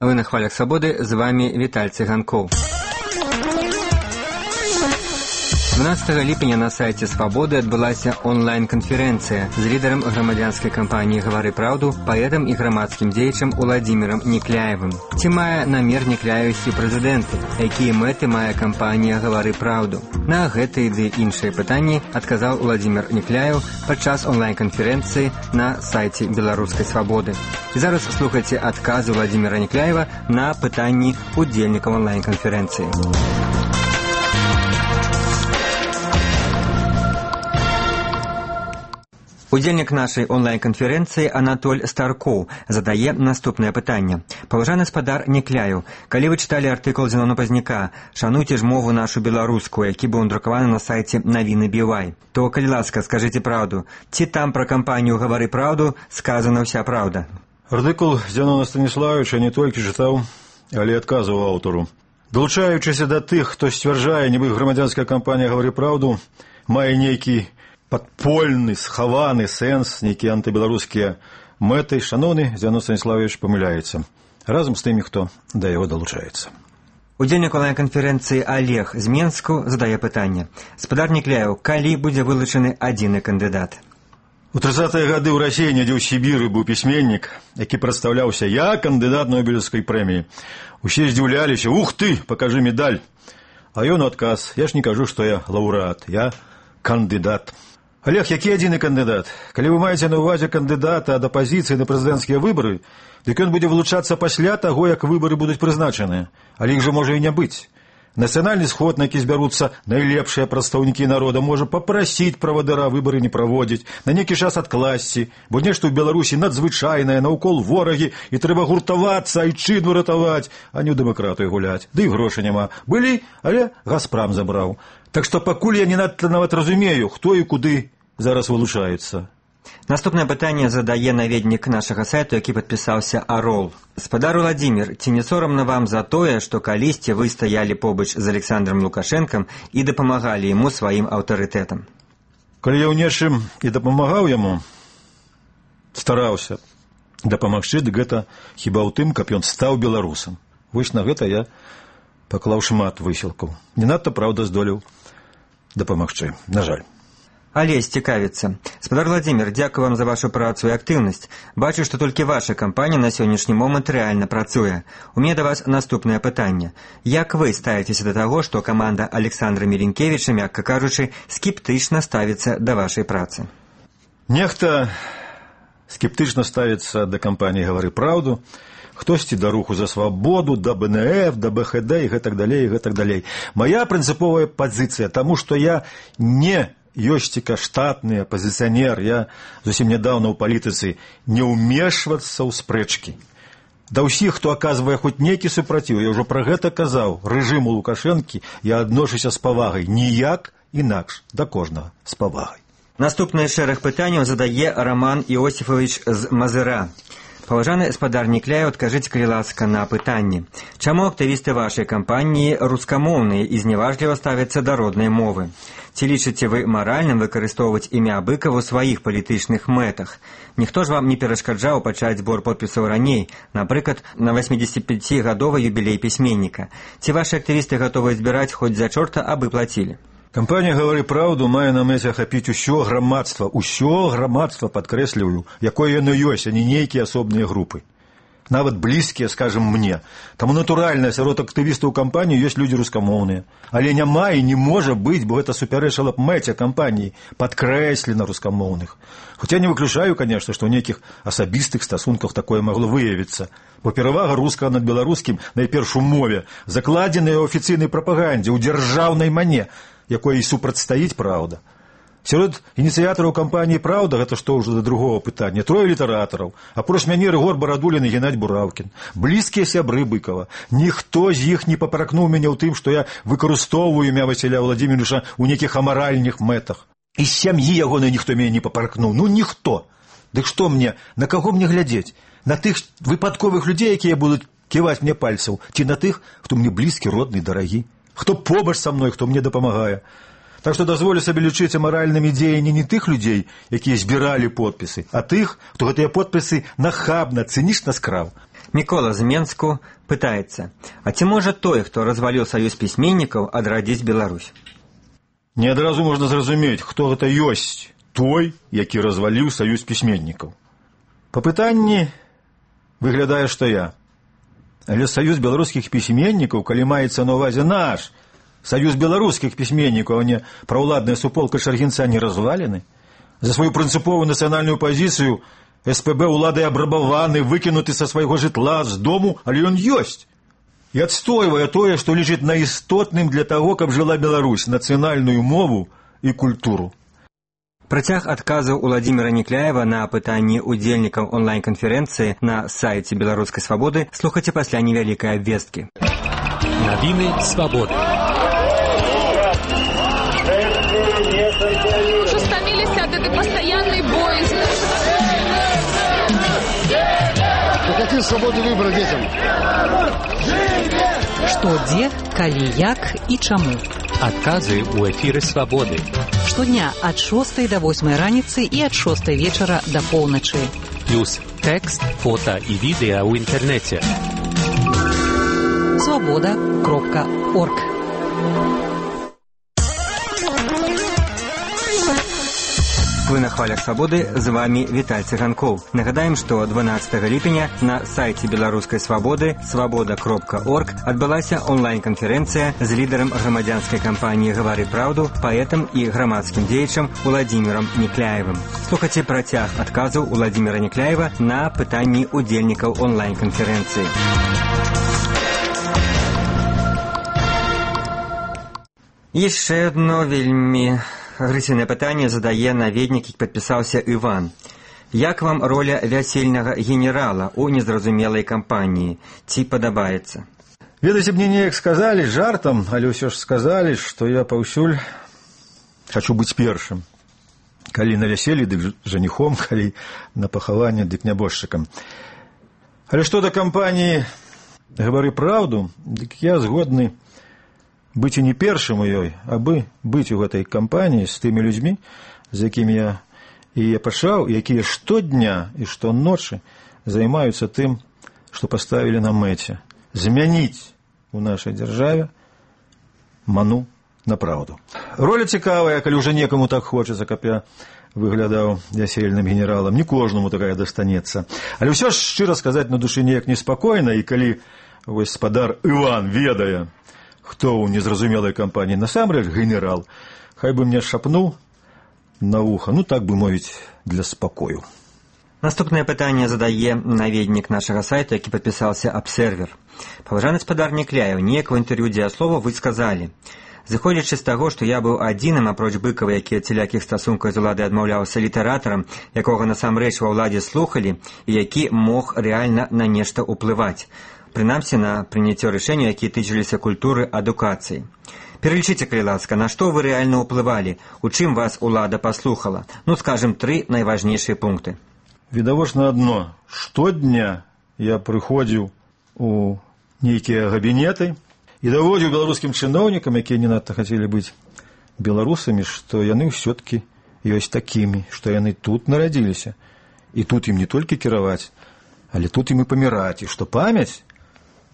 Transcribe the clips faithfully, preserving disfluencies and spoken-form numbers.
Вы на хвалях свабоды, з вами Віталь Цыганкоў. дванаццатага ліпеня на сайце «Свабоды» адбылася онлайн-канферэнцыя з лідарам грамадзянскай кампаніі «Гавары праўду», паэтам і грамадскім дзеячам Уладзімірам Некляевым. Ці мае намер Некляеў ісці прэзідэнты? Якія мэты мае кампанія «Гавары праўду»? На гэтыя ды іншыя пытанні адказаў Уладзімір Некляеў падчас онлайн-канферэнцыі на сайце беларускай «Свабоды». І зараз слухайце адказы Уладзіміра Некляева на пытанні удзельнікаў онлайн-канферэнцыі. Удзельнік нашай онлайн-канферэнцыі Анатоль Старкоў задае наступнае пытанне. Паважаны спадар Некляеў, калі вы чыталі артыкул Зенона Пазняка «Шануйце ж мову нашу беларускую», які быў друкаваны на сайце навіны Бівай, то, калі ласка, скажыце праўду, ці там пра кампанію «Гавары праўду» сказана ўся праўда? Артыкул Зенона Станіславовича не толькі чытаў, але адказваў аўтару. Далучаючыся да тых, хто сцвярджае, нібы грамадзянская кампанія «Гавары праўду» мае нейкі падпольны, схаваны сэнс, нейкія антыбеларускія мэты, шаноўны Зенон Станіславович памыляецца. Разам з тымі, хто да яго далучаецца. Удзельнік онлайн-канферэнцыі Олег з Менску задае пытанне. Спадар Некляеў, калі будзе вылучаны адзіны кандыдат? У трыццатыя гады ў Расіі, недзе ў Сібіры, быў пісьменнік, які прадстаўляўся «Я кандыдат Нобелевскай прэміі». Усе здзіўляліся: «Ух ты, пакажы медаль!» А ён у адказ: «Я ж не кажу, што я лаўрэат, я кандыдат». Олег, які адзіны кандыдат? Калі вы маеце на ўвазе кандыдата ад апазіцыі на прэзідэнцкія выбары, дык ён будзе вылучацца пасля таго, як выбары будуць прызначаныя. Але іх жа можа і не быць. Нацыянальны сход, на які збяруцца найлепшыя прадстаўнікі народа, можа папрасіць правадыра выбары не праводзіць, на нейкі час адкласці, бо нешта ў Беларусі надзвычайнае, наўкол ворагі, і трэба гуртавацца, айчыну ратаваць, а не ў дэмакратыю гуляць. Ды і грошай няма. Былі, але Газпрам забраў. Так што пакуль я не надта нават разумею, хто і куды зараз вылучаецца. Наступнае пытанне задае наведнік нашага сайту, які падпісаўся Арол. Спадар Уладзімір, ці не сорамна вам за тое, што калісьці вы стаялі побач з Александром Лукашэнкам і дапамагалі яму сваім аўтарытэтам? Калі я ў нечым і дапамагаў яму, стараўся дапамагчы, дык гэта хіба ў тым, каб ён стаў беларусам. Вось на гэта я паклаў шмат высілкаў. Не надта, праўда, здолеў дапамагчы, на жаль. Алесь цікавіцца. Спадар Владзімір, дзякую вам за вашу працу і актыўнасць. Бачу, што толькі ваша кампанія на сённяшні момант рэальна працуе. У мяне да вас наступнае пытанне. Як вы ставіцеся да таго, што каманда Александра Мірінкевіча, мякка кажучы, скептычна ставіцца да вашай працы? Нехта скептычна ставіцца да кампаніі «Гавары праўду», хтосьці да руху за свабоду, да бэ эн эф, да бэ ха дэ і гэтак далей, і гэтак далей. Мая прынцыповая пазіцыя, таму што я не ёсціка штатны апазіцыянер, я зусім нядаўна ў палітыцы, не ўмешвацца ў спрэчкі. Да ўсіх, хто аказвае хоць нейкі супраціў, я ўжо пра гэта казаў, рэжыму Лукашэнкі я адношуся з павагай, ніяк інакш, да кожнага з павагай. Наступны шэраг пытанняў задае Роман Іосіфович з Мазыра. Паважаны спадар Некляеў, адкажыце, калі ласка, на пытанне. Чаму актывісты вашай кампаніі рускамоўныя і зневажліва ставяцца да роднай мовы? Ці лічыце вы маральным выкарыстоўваць імя Быкава ў сваіх палітычных мэтах? Ніхто ж вам не перашкаджаў пачаць збор подпісаў раней, напрыклад, на васьмідзесятіпяцігадовы юбілей пісьменніка. Ці вашы актывісты гатовыя збіраць хоць за чорта, абы плацілі? Кампанія «Гавары праўду» мае на мэце ахапіць усё грамадства, усё грамадства, падкрэсліваю, якое яно ёсць, а не нейкія асобныя групы. Нават блізкія, скажам, мне. Таму натуральна, сярод актывістаў кампаніі ёсць людзі рускамоўныя. Але няма і не можа быць, бо гэта супярэчыла б мэце кампаніі, падкрэслена рускамоўных. Хоць я не выключаю, конечно, што ў нейкіх асабістых стасунках такое магло выявіцца. Бо перавага рускага над беларускім найперш у мове, закладзеная ў афіцыйнай прапагандзе, ў дзяржаўнай мане, якой і супрацьстаіць праўда. Сярод ініцыятараў кампаніі «Праўда» гэта што ўжо да другого пытання. Трое літаратараў, апроч мяне Рыгор Барадулін і Геннадзь Бураўкін. Блізкія сябры Быкава. Ніхто з іх не папракнуў мяне ў тым, што я выкарыстоўваю імя Васіля Владзіміровича ў нейкіх амаральных мэтах. І з сям'і ягонай ніхто мяне не папракнуў. Ну, ніхто. Дык што мне, на каго мне глядзець? На тых выпадковых людзей, якія будуць ківаць мне пальцаў, ці на тых, хто мне блізкі, родны, дарагі? Хто побач са мной, хто мне дапамагае? Так што дазволю сабе лічыць амаральнымі дзеянні не тых людзей, якія збіралі подпісы, а тых, хто гэтыя подпісы нахабна, цынічна скраў. Мікола з Менску пытаецца: а ці можа той, хто разваліў саюз пісьменнікаў, адрадзіць Беларусь? Не адразу можна зразумець, хто гэта ёсць той, які разваліў саюз пісьменнікаў. Па пытанні выглядае, што я. Але саюз беларускіх пісьменнікаў, калі маецца на ўвазе наш саюз беларускіх пісьменнікаў, а не праўладная суполка Шаргінца, не развалены. За сваю прынцыповую нацыянальную пазіцыю эс пэ бэ ўлады абрабаваны, выкінуты са свайго жытла, з дому, але ён ёсць. І адстойвае тое, што лічыць наістотным для таго, каб жыла Беларусь, нацыянальную мову і культуру. Працяг адказаў Уладзіміра Никляева на пытанні удзельнікаў онлайн-канферэнцыі на сайце Беларускай свабоды слухайце пасля невялікай абвесткі. Навіны свабоды. Уже стаміліся ад этой пастаяннай боязни. Какие свободы выбора детям? Што, дзе, калі, як і чаму. Адказы ў эфіры свабоды. Штодня ад шостай да восьмай раніцы і ад шостай вечара да поўначы. Плюс тэкст, фота і відэа ў інтэрнэце. свобода кропка орг. Вы на хвалях свабоды, з вами Віталь Цыганкоў. Нагадаем, што дванаццатага ліпеня на сайце Беларускай свабоды свобода кропка орг адбылася онлайн-канферэнцыя з лідарам грамадзянскай кампаніі «Гавары праўду», паэтам і грамадскім дзеячам Уладзімірам Никляевым. Слухайце працяг адказаў Уладзіміра Никляева на пытанні удзельнікаў онлайн-канферэнцыі. Яшчэ адно вельмі агрэсіўнае пытанне задае наведнік, які падпісаўся Іван. Як вам роля вясельнага генерала ў незразумелай кампаніі? Ці падабаецца? Ведаеце, мне неяк сказалі жартам, але ўсё ж сказалі, што я паўсюль хачу быць першым. Калі на вяселлі, дык жаніхом, калі на пахаванне, дык нябожчыкам. Але што да кампаніі «Гавары праўду», дык я згодны быць і не першым у ёй, абы быць у гэтай кампаніі з тымі людзьмі, з якімі я і я пачаў, якія штодня і штоночы займаюцца тым, што паставілі на мэце змяніць у нашай дзяржаве ману на праўду. Роля цікавая, калі ўжо некаму так хочацца, каб я выглядаў вясельным генералам. Не кожнаму такая дастанецца. Але ўсё ж, шчыра сказаць, на душы неяк неспакойна, і калі вось спадар Іван ведае, хто ў незразумелай кампаніі насамрэч генерал, хай бы мне шапнуў на вуха, ну так бы мовіць, для спакою. Наступнае пытанне задае наведнік нашага сайта, які падпісаўся «Абсервер». Паважаны спадар Никляев, неяк у інтэрв'ю «Дзеяслова» вы сказалі: «Зыходзячы з таго, што я быў адзіным апроч Быкава, які ад цялякіх стасункаў з уладай адмаўляўся, літаратарам, якога насамрэч ва ўладзе слухалі і які мог рэальна на нешта ўплываць. Прынамсі на прыняццё рашэнняў, якія тычыліся культуры, адукацыі. Пералічыце, калі ласка, на што вы рэальна ўплывалі, у чым вас улада паслухала? Ну, скажем, тры найважнейшыя пункты». Відавочна адно. Штодня я прыходзіў у нейкія габінеты і даводзіў беларускім чыноўнікам, якія не надта хацелі быць беларусамі, што яны ўсё-ткі ёсць такімі, што яны тут нарадзіліся. І тут ім не толькі кіраваць, але тут ім і паміраць, і што памяць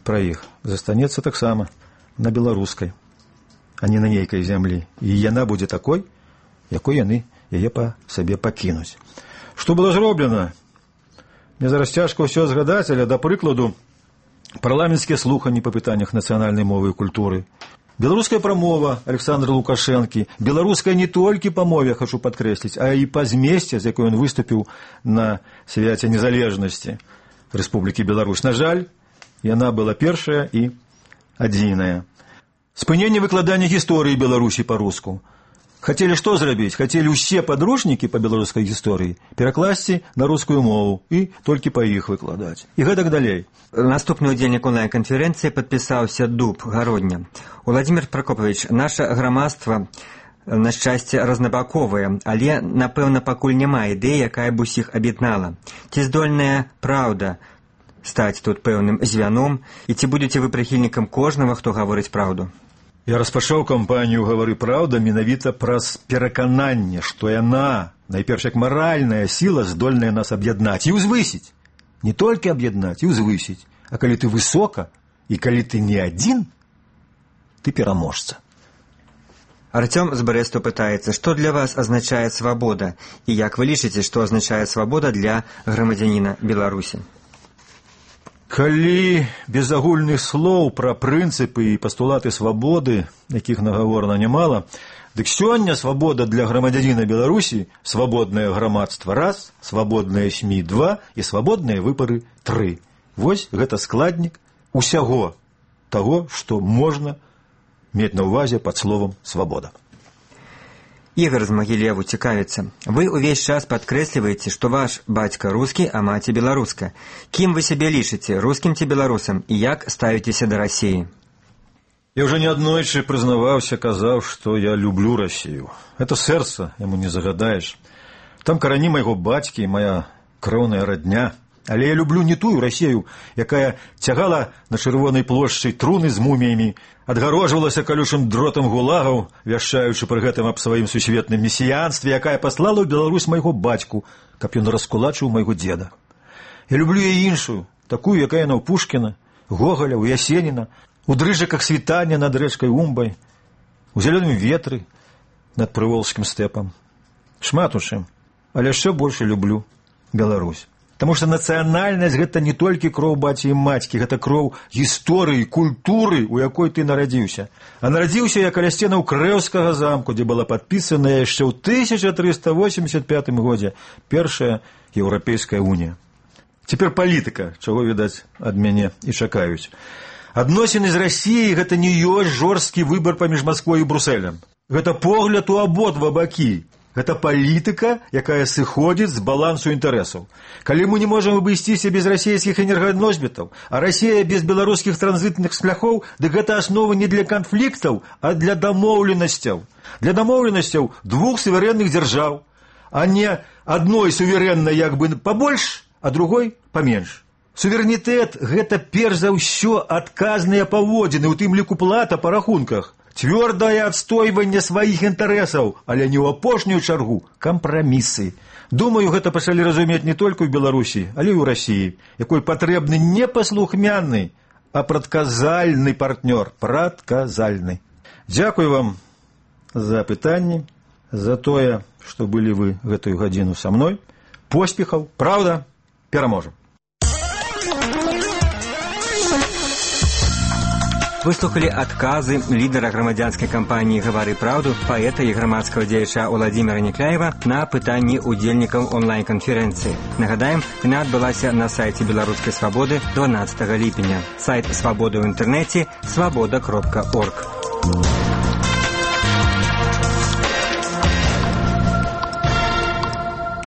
пра іх застанецца таксама на беларускай, а не на нейкай зямлі. І яна будзе такой, якой яны яе па сабе пакінуць. Што было зроблена? Мне зараз цяжка ўсё згадаць, але, да прыкладу, парламенцкія слуханні па пытаннях нацыянальнай мовы і культуры, беларуская прамова Александра Лукашэнкі, беларуская не толькі па мове, хачу падкрэсліць, а і па змесце, з якой ён выступіў на свяце незалежнасці Рэспублікі Беларусь. На жаль, яна была першая і адзіная. Спыненне выкладання гісторыі Беларусі па-руску. Хацелі што зрабіць? Хацелі ўсе падручнікі па беларускай гісторыі перакласці на рускую мову і толькі па іх выкладаць. І гэтак далей. Наступны удзельнік онлайн-канферэнцыі падпісаўся Дуб, Гародня. Уладзімір Пракопавіч, наша грамадства, на шчасце, рознабаковая, але, напэўна, пакуль няма ідэі, якая б усіх аб'яднала. Ці здольная праўда стаць тут пэўным звяном, і ці будзеце вы прыхільнікам кожнага, хто гаворыць праўду? Я распачаў кампанію «Гавары праўда» менавіта праз перакананне, што яна, найперш як маральная сіла, здольная нас аб'яднаць і ўзвысіць не толькі аб'яднаць і ўзвысіць, а калі ты высока і калі ты не адзін, ты пераможца. Артём з Брэсту пытаецца, што для вас азначае свабода і як вы лічыце, што азначае свабода для грамадзяніна Беларусі? Калі без агульных слоў пра прынцыпы і пастулаты свабоды, якіх нагаворана нямала, дык сёння свабода для грамадзяніна Беларусі, свабоднае грамадства раз, свабодныя СМІ два і свабодныя выбары тры. Вось гэта складнік усяго таго, што можна мець на ўвазе пад словам свабода. Ігор з Магілеву цікавіцца. Вы ўвесь час падкрэсліваеце, што ваш бацька рускі, а маці беларуска. Кім вы сябе лічыце, рускім ці беларусам, і як ставіцеся да Расіі? Я ўжо неаднойчы прызнаваўся, казаў, што я люблю Расію. Это сэрца, яму не загадаеш. Там карані майго бацькі, моя кроўная радня. Але я люблю не тую Расію, якая цягала на чырвонай плошчы труны з муміямі, адгарожвалася калючым дротам гулагаў, вяшчаючы пры гэтым аб сваім сусветным месіянстве, якая паслала ў Беларусь майго бацьку, каб ён раскулачыў майго дзеда. Я люблю і іншую, такую, якая на ў Пушкіна, Гогаля, у Ясеніна, у дрыжыках світання над рэчкай Умбай, у зялёным ветры над прыволжскім стэпам. Шмат у чым, але яшчэ больш люблю Беларусь. Таму што нацыянальнасць гэта не толькі кроў баці і мацькі, гэта кроў гісторыі, культуры, у якой ты нарадзіўся. А нарадзіўся я каля сценаў Крэўскага замку, дзе была падпісаная яшчэ ў тысяча трыста восемьдесят пятым годзе першая Еўрапейская унія. Цяпер палітыка, чаго, відаць, ад мяне і чакаюць. Адносіны з Расіяй гэта не ёсць жорсткі выбар паміж Масквой і Брусэлем. Гэта погляд у абодва бакі. Гэта палітыка, якая сыходзіць з балансу інтарэсаў. Калі мы не можам абысціся без расійскіх энерганосьбітаў, а Расія без беларускіх транзітных шляхоў, дык гэта аснова не для канфліктаў, а для дамоўленасцяў. Для дамоўленасцяў двух суверэнных дзяржаў, а не адной суверэннай як бы пабольш, а другой паменш. Суверэнітэт – гэта перш за ўсё адказныя паводзіны, у тым ліку плата па рахунках. Цвёрдае адстойванне сваіх інтарэсаў, але не ў апошнюю чаргу кампрамісы. Думаю, гэта пачалі разумець не толькі ў Беларусі, але і ў Расіі, якой патрэбны не паслухмяны, а прадказальны партнёр, прадказальны. Дзякую вам за пытанні, за тое, што былі вы гэтую гадзіну са мной. Поспехаў, праўда, пераможам. Выслухалі адказы лідара грамадзянскай кампаніі «Гавары праўду», паэта і грамадскага дзеяча Уладзіміра Никляева на пытанні удзельнікаў онлайн-канферэнцыі. Нагадаем, яна адбылася на сайце Беларускай свабоды дванаццатага ліпеня. Сайт свабоды ў інтэрнэце свабода кропка орг.